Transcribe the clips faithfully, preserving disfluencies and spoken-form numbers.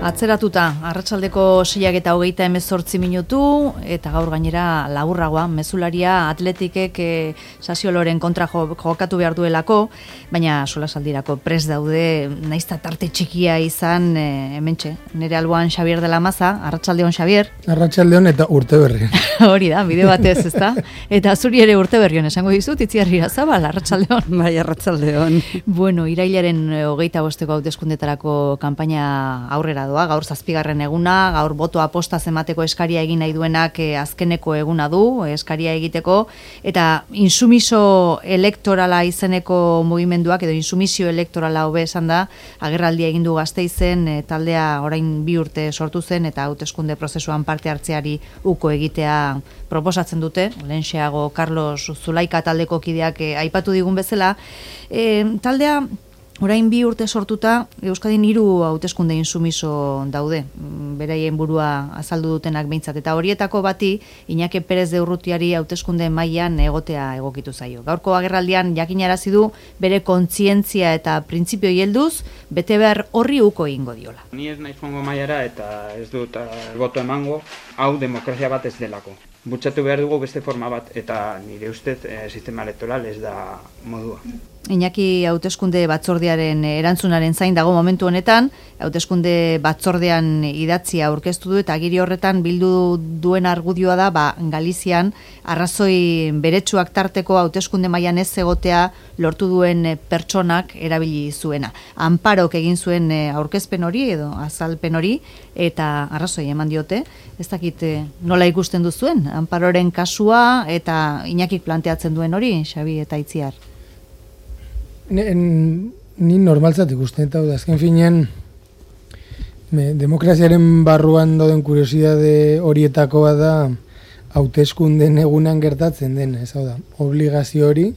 Atzeratuta, arratsaldeko seiak eta hogeita hemezortzi minutu, eta gaur gainera laburragoa, mezularia atletikek e, Sasioloren kontra jo, jokatu behar duelako, baina solasaldirako prest daude, naizta tarte txikia izan, e, hementxe, nire alboan Xabier de la Maza, arratsaldeon Xabier. Arratsaldeon eta urteberrion. Hori da, bide batez, ezta? Eta zuri ere urteberrion, esango dizut, Itziarri Zabal, arratsaldeon. Bai, arratsaldeon. Bueno, irailaren hogeita bosteko hauteskundetarako kanpaina aurrera doa, gaur zazpigarren eguna, gaur botoa postaz emateko eskaria egin nahi duenak eh, azkeneko eguna du, eskaria egiteko, eta insumiso elektorala izeneko mugimenduak, edo insumisio elektorala hobe esan da, agerraldia egin du Gasteizen, e, taldea orain bi urte sortu zen, eta hauteskunde prozesuan parte hartzeari uko egitea proposatzen dute, lehenxeago Carlos Zulaika taldeko kideak e, aipatu digun bezala, e, taldea orain bi urte sortuta, Euskadin hiru hauteskunde insumiso daude, beraien burua azaldu dutenak behintzat, eta horietako bati Iñaki Perez de Urrutiari hauteskunde mailan egotea egokitu zaio. Gaurko agerraldian jakinarazi du bere kontzientzia eta printzipio helduz bete behar horri uko egingo diola. Ni ez naiz joango mailara eta ez dut uh, boto emango, hau demokrazia bat ez delako. Bultzatu behar dugu beste forma bat, eta nire ustez eh, sistema elektoral ez da modua. Iñaki hauteskunde batzordearen erantzunaren zain dago momentu honetan, hauteskunde batzordean idatzia aurkeztu du eta agiri horretan bildu duen argudioa da, ba, Galizian arrazoi beretsuak tarteko hauteskunde mailan ez egotea lortu duen pertsonak erabili zuena. Anparok egin zuen aurkezpen hori edo azalpen hori eta arrazoi eman diote. Ez dakit nola ikusten duzuen Anparoren kasua eta Iñakik planteatzen duen hori, Xabi eta Itziar. Ni normaltzat ikusten, eta azken finean me, demokraziaren barruan dauden kuriosidade horietakoa da hauteskunden egunan gertatzen dena, ez hau da, obligazio hori,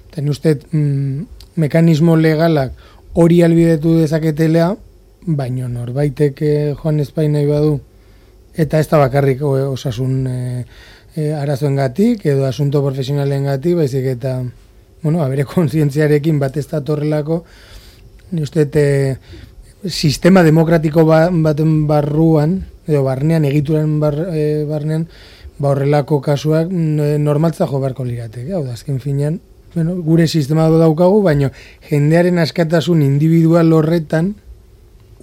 eta uste mm, mekanismo legalak hori albidetu dezaketelea, baino norbaitek eh, joan Espain nahi badu, eta ez da bakarrik osasun eh, eh, arazoengatik edo asunto profesionalengatik, baizik eta bueno, abere kontzientziarekin bat ez da torrelako, uste, e, sistema demokratiko ba, baten barruan, edo barnean, egituran bar, e, barnean, ba horrelako kasuak normaltza jo beharko lirateke, hau da, azken finean, bueno, gure sistema daukagu, baina jendearen askatasun individual horretan,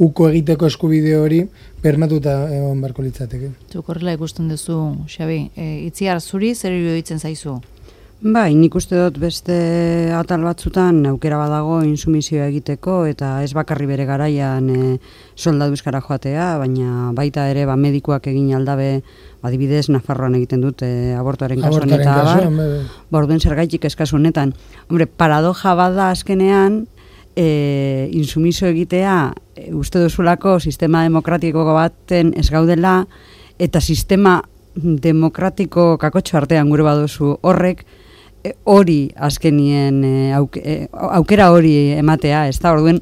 uko egiteko eskubide hori, bermatuta egon beharko litzateke. Zuk horrela ikusten duzu, Xabi, e, Itziar zuri, zer iruditzen zaizu? Bai, nik uste dut beste atal batzutan aukera badago insumisioa egiteko eta ez bakarri bere garaian e, soldadu euskara joatea, baina baita ere ba, medikuak egin aldabe, adibidez Nafarroan egiten dut e, abortuaren kasuan eta abar, ba, orduen zergaitik eskazu honetan. Hombre, paradoja bada azkenean, e, insumisio egitea e, uste duzulako sistema demokratiko baten ez gaudela eta sistema demokratiko kakotxo artean gure baduzu horrek, hori azkenien aukera hori ematea, ez da, orduen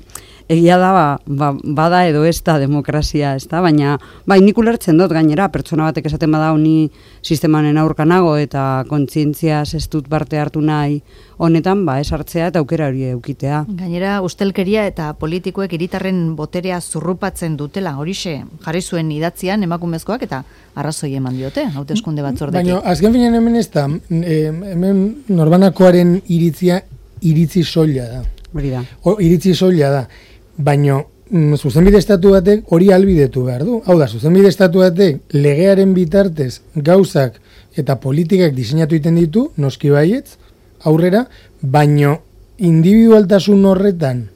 egia da, ba, ba, bada edo ez da demokrazia, ez da, baina bai, nik ulertzen dut gainera, pertsona batek esaten bada ni sistemanen aurkanago eta kontzientziaz ez dut parte hartu nahi honetan, ba, ez hartzea eta aukera hori eukitea. Gainera, ustelkeria eta politikoek hiritarren boterea zurrupatzen dutela, horixe jarri zuen idatzian emakumezkoak eta arrazoi eman diote, hauteskunde batzordetik. Baina, azken finean hemen ez da, e, hemen norbanakoaren iritzia iritzi soila da. Hori da. O, iritzi soila da, baina mm, zuzenbide estatu batek hori albidetu behar du. Hau da, zuzenbide estatu batek legearen bitartez gauzak eta politikak diseinatu egiten ditu, noski baietz, aurrera, baino individualtasun horretan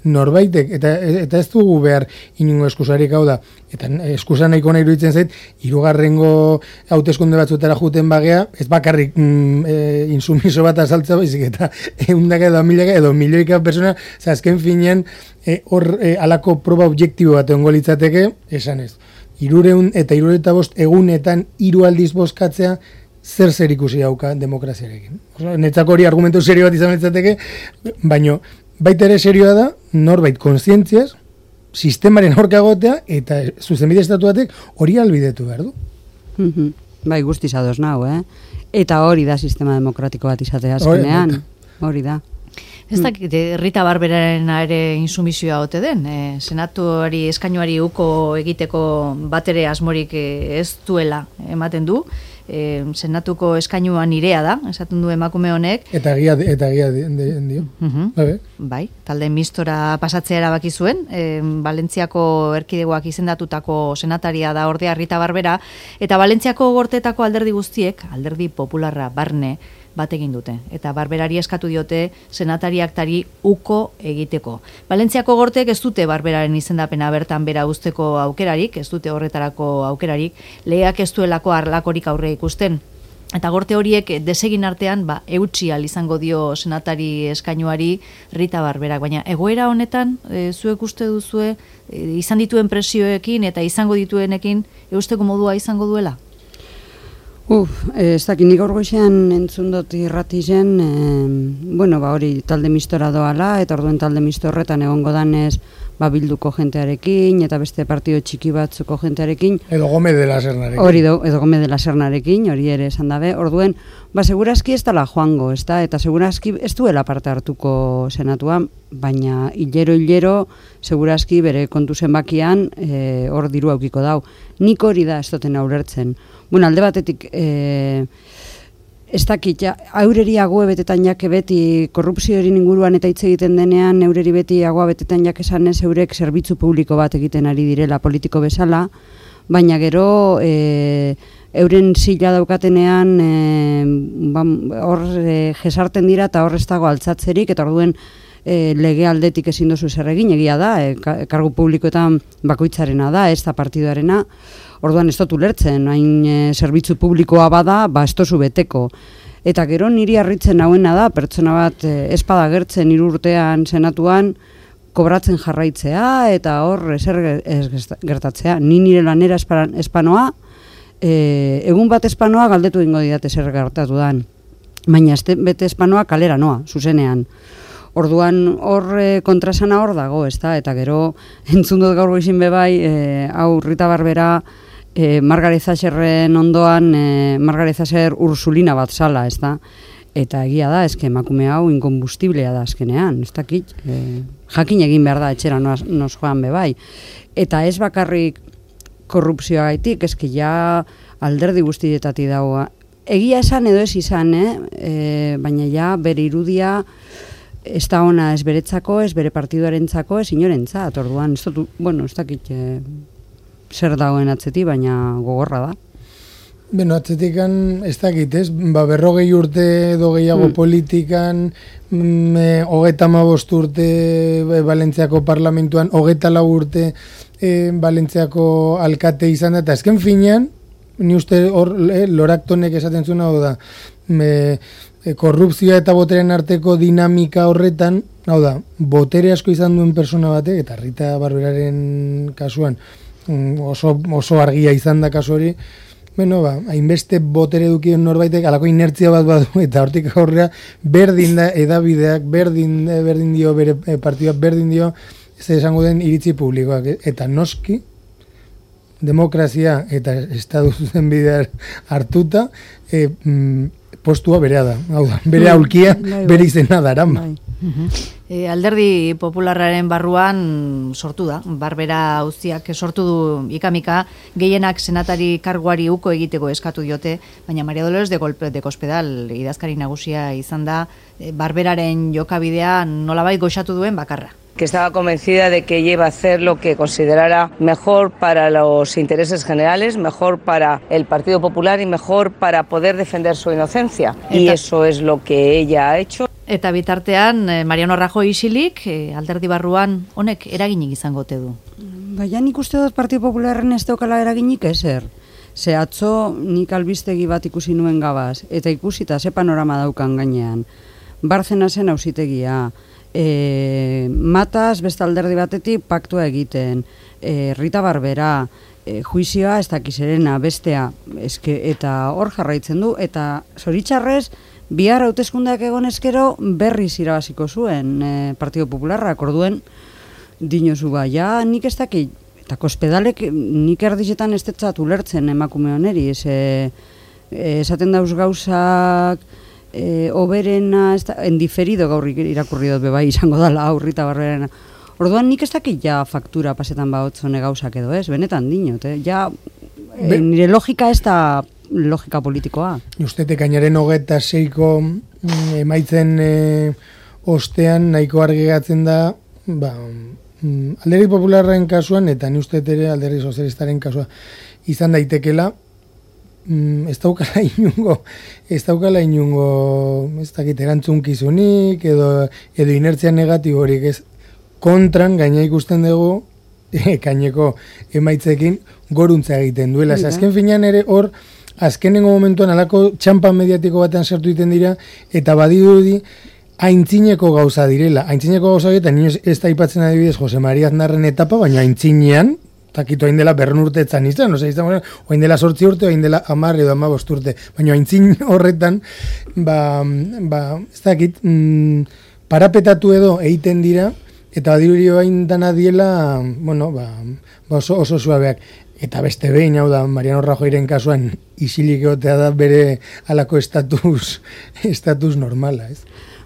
norbaitek, eta, eta ez dugu behar inungo eskusarik, hau da, eta eskusa nahiko nahi iruditzen zait, hirugarrengo hauteskunde batzutara juten bagea, ez bakarrik mm, e, insumiso bat azaltza baizik, eta eundaka edo milaka edo milioika persona, azken finean e, hor e, alako proba objektibo bat egongo litzateke, esan ez. Hirureun eta hirureta bost egunetan hiru aldiz bozkatzea, zer zer ikusi hauka demokraziarekin. Netzako hori argumentu serio bat izan litzateke, baino baita ere serioa da, norbait kontzientziaz, sistemaren aurka egotea eta zuzenbide estatu batek hori albidetu behar du. Bai, guztiz ados nau, eh? Eta hori da sistema demokratiko bat izatea azkenean. Hori da. Ez dakit, Rita Barberaren ere insumizioa ote den, e, senatuari eskainuari uko egiteko batere asmorik ez duela ematen du, e, senatuko eskainua nirea da, esaten du emakume honek. Eta egia eta egia dio. Uh-huh. Bai, talde mistora pasatzea erabaki zuen, e, Valentziako erkidegoak izendatutako senataria da ordea Rita Barbera, eta Valentziako gortetako alderdi guztiek, alderdi popularra barne, bat egin dute, eta Barberari eskatu diote senatariaktari uko egiteko. Valentziako gortek ez dute Barberaren izendapena bertan bera uzteko aukerarik, ez dute horretarako aukerarik, legeak ez duelako arlakorik aurre ikusten. Eta gorte horiek desegin artean, ba, eutsi al izango dio senatari eskainuari Rita Barberak, baina egoera honetan, e, zuek uste duzue, e, izan dituen presioekin eta izango dituenekin, eusteko modua izango duela? Uf, ez dakit, nik orgoizean entzun dut irratizen, e, bueno, ba hori talde mistora doala, eta orduen talde mistorretan egongo danez, ba bilduko jentearekin, eta beste partio txiki batzuko jentearekin. Edo Gome de la Sernarekin. Hori do, edo Gome de la Sernarekin, hori ere esan dabe, orduen, ba segurazki ez dala joango, ez da, eta segurazki ez duela parte hartuko senatuan, baina hilero-hilero, segurazki bere kontu zenbakian, e, hor diru aukiko dau. Nik hori da ez duten aurrertzen. Bueno, alde batetik, e, ez dakit, ja, aurreri agoe betetan jake beti korrupzioaren inguruan eta hitz egiten denean, aurreri beti agoa betetan jake esanez eurek zerbitzu publiko bat egiten ari direla politiko bezala, baina gero e, euren zila daukatenean e, ba, hor e, jesarten dira eta hor ez dago altzatzerik, eta orduen e, lege aldetik ezin dozu zer egin, egia da, e, kargu publikoetan bakoitzarena da, ez da partiduarena. Orduan ez dut ulertzen, hain e, zerbitzu publikoa bada, ba ez dozu beteko. Eta gero niri harritzen hauena da, pertsona bat e, espada gertzen hiru urtean senatuan, kobratzen jarraitzea, eta hor ezer ez gertatzea. Ni nire lanera espanoa, e, egun bat espanoa galdetu egingo didat ezer gertatu dan. Baina ez bete espanoa kalera noa, zuzenean. Orduan hor e, kontrasana hor dago, ezta? Eta gero entzun dut gaur goizin bebai, e, hau Rita Barbera, E, Margaret Thatcherren ondoan e, Margaret Thatcher ursulina bat zala, ez da? Eta egia da, eske emakume hau inkombustiblea da azkenean, ez dakit, e, jakin egin behar da etxera nos, nos joan bebai. Eta ez bakarrik korrupzioa gaitik, eske ja alderdi guztietatik dagoa. Egia esan edo ez izan, eh? E, baina ja bere irudia ez da ona ez beretzako, ez bere partiduarentzako, ez inorentzat, orduan, ez dut, bueno, ez dakit... E, zer dagoen atzeti, baina gogorra da. Beno, atzetikan ez dakit, ez? Ba, berrogei urte edo gehiago mm. politikan, mm, hogeita hamabost urte e, Valentziako parlamentuan, hogeita lau urte e, Valentziako alkate izan da, eta ezken finean, ni uste hor e, Loraktonek esaten zuen hau da, e, e, korrupzioa eta boteren arteko dinamika horretan, hau da, botere asko izan duen persona batek, eta Rita Barberaren kasuan, oso, oso argia izan da kasu hori, bueno, ba, hainbeste botere dukien norbaitek, alako inertzia bat badu, eta hortik aurrera berdin da edabideak, berdin, berdin dio, bere partioak berdin dio, ez esango den iritzi publikoak, eta noski, demokrazia eta estatu zen bidea hartuta, e, mm, postua berea da, hau da, bere aulkia, bere izena darama. E, alderdi popularraren barruan sortu da, Barbera auziak sortu du ikamika, gehienak senatari karguari uko egiteko eskatu diote, baina Maria Dolores de, Golpe, de Cospedal idazkari nagusia izan da, e, Barberaren jokabidea nolabait goxatu duen bakarra. Que estaba convencida de que ella iba a hacer lo que considerara mejor para los intereses generales, mejor para el Partido Popular y mejor para poder defender su inocencia. Eta, y eso es lo que ella ha hecho. Eta bitartean, Mariano Rajoy isilik, alderdi barruan honek eraginik izango ote du? Baina nik uste dut Partido Popularren ez daukala eraginik ezer. Ze atzo nik albistegi bat ikusi nuen gabaz, eta ikusita ze panorama daukan gainean. Barzena zen auzitegia, E, Matas beste alderdi batetik paktua egiten, e, Rita Barbera, e, juizioa ez dakizerena, bestea, eske, eta hor jarraitzen du, eta zoritxarrez, bihar hauteskundeak egon ezkero berriz irabaziko zuen e, Partido Popularrak, orduen dinozu ba, ja, nik ez dakit, eta Cospedalek nik erdizetan ez tetzat ulertzen emakume oneri, ez, e, esaten dauz gauzak, e, oberena, ez da, endiferido gaur irakurri dut bebai izango dala aurrita barberena. Orduan nik ez dakit ja faktura pasetan baotzone gauzak edo ez, benetan dinot, eh? Ja, e, nire logika ez da logika politikoa. Ustete kainaren hogeta seiko mm, emaitzen e, ostean nahiko argi gatzen da, ba, mm, Alderdi Popularraren kasuan, eta ni uste ere Alderdi Sozialistaren kasua izan daitekela, mm, ez daukala inungo, ez daukala inungo, ez dakit, erantzunkizunik, edo, edo inertzia negatiborik, ez kontran gaina ikusten dugu, e, kaineko emaitzekin goruntza egiten duela. Ez azken finean ere hor, azkenengo momentuan alako txampa mediatiko batean sartu egiten dira, eta badirudi aintzineko gauza direla. Aintzineko gauza eta nioz ez da ipatzen adibidez Jose Maria Aznarren etapa, baina aintzinean, takito hain dela berren urteetzan izan, oza, izan, oain dela sortzi urte, oain dela amar edo amabost urte, baina aintzin horretan, ba, ba ez dakit, mm, parapetatu edo egiten dira, eta badirudi hain dana diela, bueno, ba, ba oso, oso suabeak. Eta beste behin, hau da, Mariano Rajoyren kasuan isilik egotea da bere halako estatus, estatus normala, ez?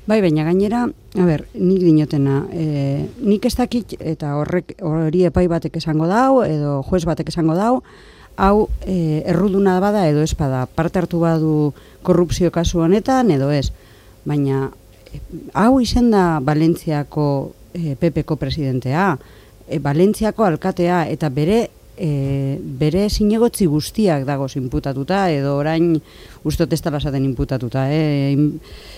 Bai, baina gainera, a ber, nik dinotena, e, nik ez dakit, eta horrek hori epai batek esango dau, edo juez batek esango dau, hau e, erruduna bada edo ez bada, parte hartu badu korrupzio kasu honetan edo ez, baina e, hau izen da Valentziako e, P P ko presidentea, e, Valentziako alkatea, eta bere E, bere zinegotzi guztiak dagoz inputatuta, edo orain ustot ez dala esaten inputatuta, eh?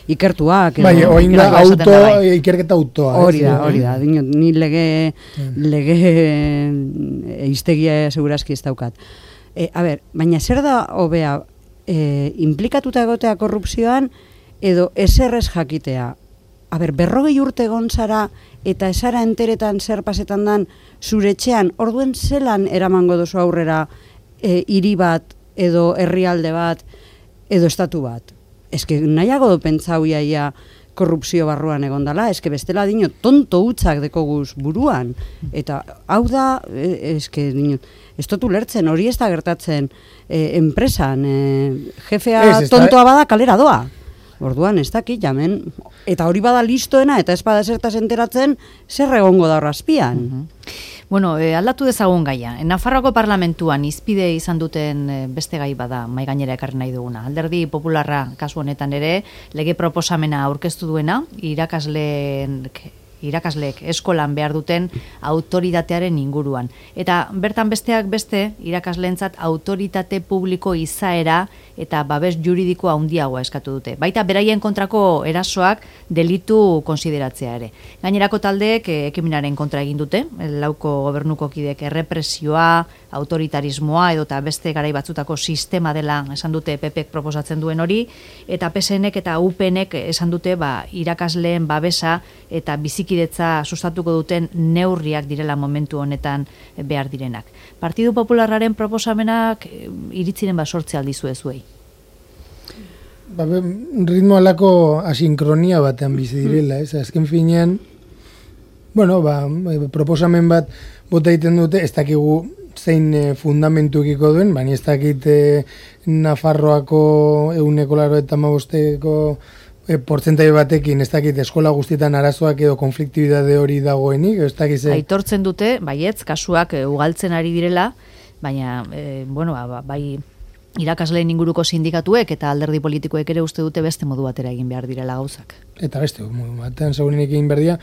Ikertuak. Bai, oin da auto, ikerketa autoa. Hori da, hori da, ni lege, lege eiztegia segurazki ez daukat. E, a ber, baina zer da hobea, e, implikatuta egotea korrupzioan, edo eserrez jakitea? A ber, berrogei urte gontzara eta esara enteretan zer pasetan dan zure etxean, orduen zelan eramango dozu aurrera e, hiri bat, edo herrialde bat, edo estatu bat. Eske nahiago do pentsau iaia korrupzio barruan egondala, eske bestela dino tonto hutzak dekoguz buruan. Eta hau da, eske dino, ez dut ulertzen, hori ez da gertatzen e, enpresan, e, jefea ez, tontoa bada kalera doa. Orduan, ez dakit, jamen, eta hori bada listoena, eta ez bada zertaz enteratzen, zer egongo da horrazpian. Uh-huh. Bueno, eh, aldatu dezagun gaia. Nafarroako parlamentuan izpide izan duten eh, beste gai bada, mai gainera ekarri nahi duguna. Alderdi Popularra kasu honetan ere, lege proposamena aurkeztu duena, irakasleen... irakasleek eskolan behar duten autoritatearen inguruan. Eta bertan besteak beste, irakasleentzat autoritate publiko izaera eta babes juridikoa handiagoa eskatu dute. Baita beraien kontrako erasoak delitu konsideratzea ere. Gainerako taldeek ekimenaren kontra egin dute, lauko gobernuko kidek errepresioa, autoritarismoa edo eta beste garai batzutako sistema dela esan dute P Pek proposatzen duen hori, eta P S Nek eta U P Nek esan dute ba, irakasleen babesa eta bizikidetza sustatuko duten neurriak direla momentu honetan behar direnak. Partidu Popularraren proposamenak iritziren basortze aldizu ezuei. Ba, ritmo alako asinkronia batean bizi direla, ez? Azken finean, bueno, ba, proposamen bat bota egiten dute, ez dakigu zein e, fundamentukiko duen, baina ez dakit e, Nafarroako ehuneko laro eta hamabosteko e, portzentai batekin, ez dakit eskola guztietan arazoak edo konfliktibidade hori dagoenik, ez dakit ze... Aitortzen dute, baietz, kasuak e, ugaltzen ari direla, baina, e, bueno, ba, bai irakasleen inguruko sindikatuek eta alderdi politikoek ere uste dute beste modu batera egin behar direla gauzak. Eta beste, modu batean segurenik egin behar dira.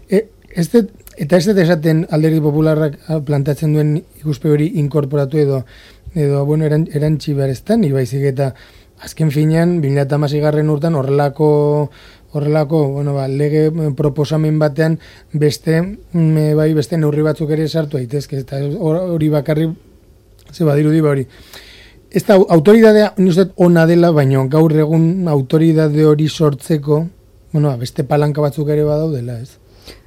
E, ez det, eta ez dut esaten alderdi popularrak plantatzen duen ikuspe hori inkorporatu edo, edo bueno, eran, erantzi behar ez da, ni baizik eta azken finean, bi mila hamaseigarren urtean horrelako horrelako, bueno, ba, lege proposamen batean beste, me, bai, beste neurri batzuk ere sartu daitezke, eta hori bakarri, ze badirudi ba hori. Ez da, autoridadea, nizet, ona dela, baina gaur egun autoridade hori sortzeko, bueno, beste palanka batzuk ere badaudela, ez?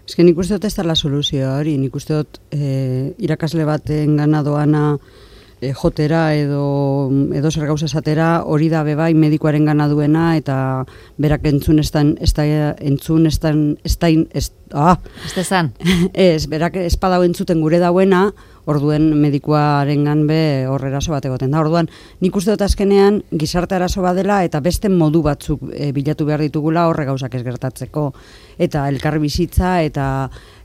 Ez que nik uste dut ez da la soluzioa hori, nik uste dut eh, irakasle baten gana doana eh, jotera edo, edo zer gauza esatera, hori da bebai medikoaren gana duena, eta berak entzun estan, ez da, entzun estan, estain, ez, ah, Este zan? ez, berak espadau entzuten gure dauena, orduen medikuaren ganbe horre eraso bat egoten da. Orduan, nik uste dut azkenean gizarte arazo badela eta beste modu batzuk e, bilatu behar ditugula horre gauzak ez gertatzeko. Eta elkarri bizitza eta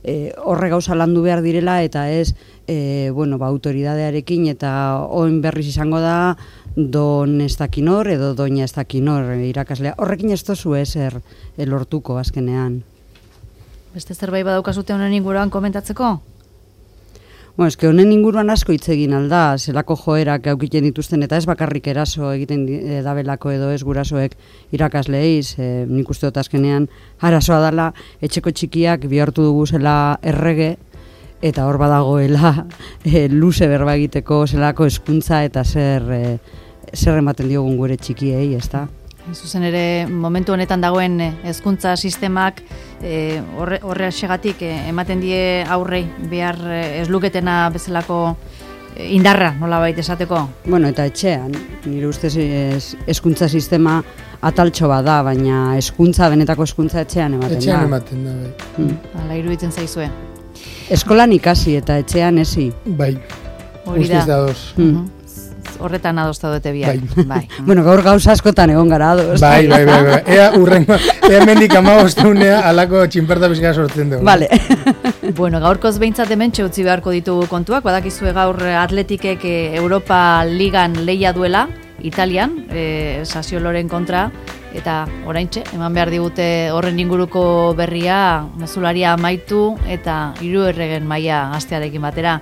e, horre gauza landu behar direla eta ez e, bueno, ba, autoridadearekin eta oin berriz izango da don ez dakinor edo doina ez dakinor irakaslea. Horrekin ez tozu ezer lortuko azkenean. Beste zerbait badaukazute honen inguruan komentatzeko? Bueno, eske honen inguruan asko hitz egin alda, zelako joerak aukiten dituzten, eta ez bakarrik eraso egiten e, dabelako edo ez gurasoek irakasleiz, e, nik uste dut azkenean arazoa dela, etxeko txikiak bihurtu dugu zela errege, eta hor badagoela e, luze berba egiteko zelako hezkuntza eta zer, e, zer ematen diogun gure txikiei, ezta? Zuzen ere, momentu honetan dagoen hezkuntza sistemak e, horre, horre segatik e, ematen die aurrei behar e, ez luketena bezalako e, indarra, nolabait esateko? Bueno, eta etxean, nire ustez hezkuntza sistema ataltxo bat da, baina hezkuntza, benetako hezkuntza etxean ematen etxean da. Etxean ematen da, bai. Mm. Hala iruditzen zaizue. Eskolan ikasi eta etxean ezi. Bai, Hori da. guztiz da dos. Mm. Horretan adosta dute biak. Bai. bai. Bueno, gaur gauza askotan egon gara ados. Bai, bai, bai, bai. Ea urrengo, ea mendik amagostunea alako txinperta bizka sortzen dugu. Vale. Bueno, gaurkoz behintzat hementxe utzi beharko ditugu kontuak, badakizue gaur Atletikek Europa Ligan lehia duela, Italian, e, Sassuoloren kontra, eta oraintxe, eman behar digute horren inguruko berria, mezularia amaitu eta hiru erregen maila astearekin batera.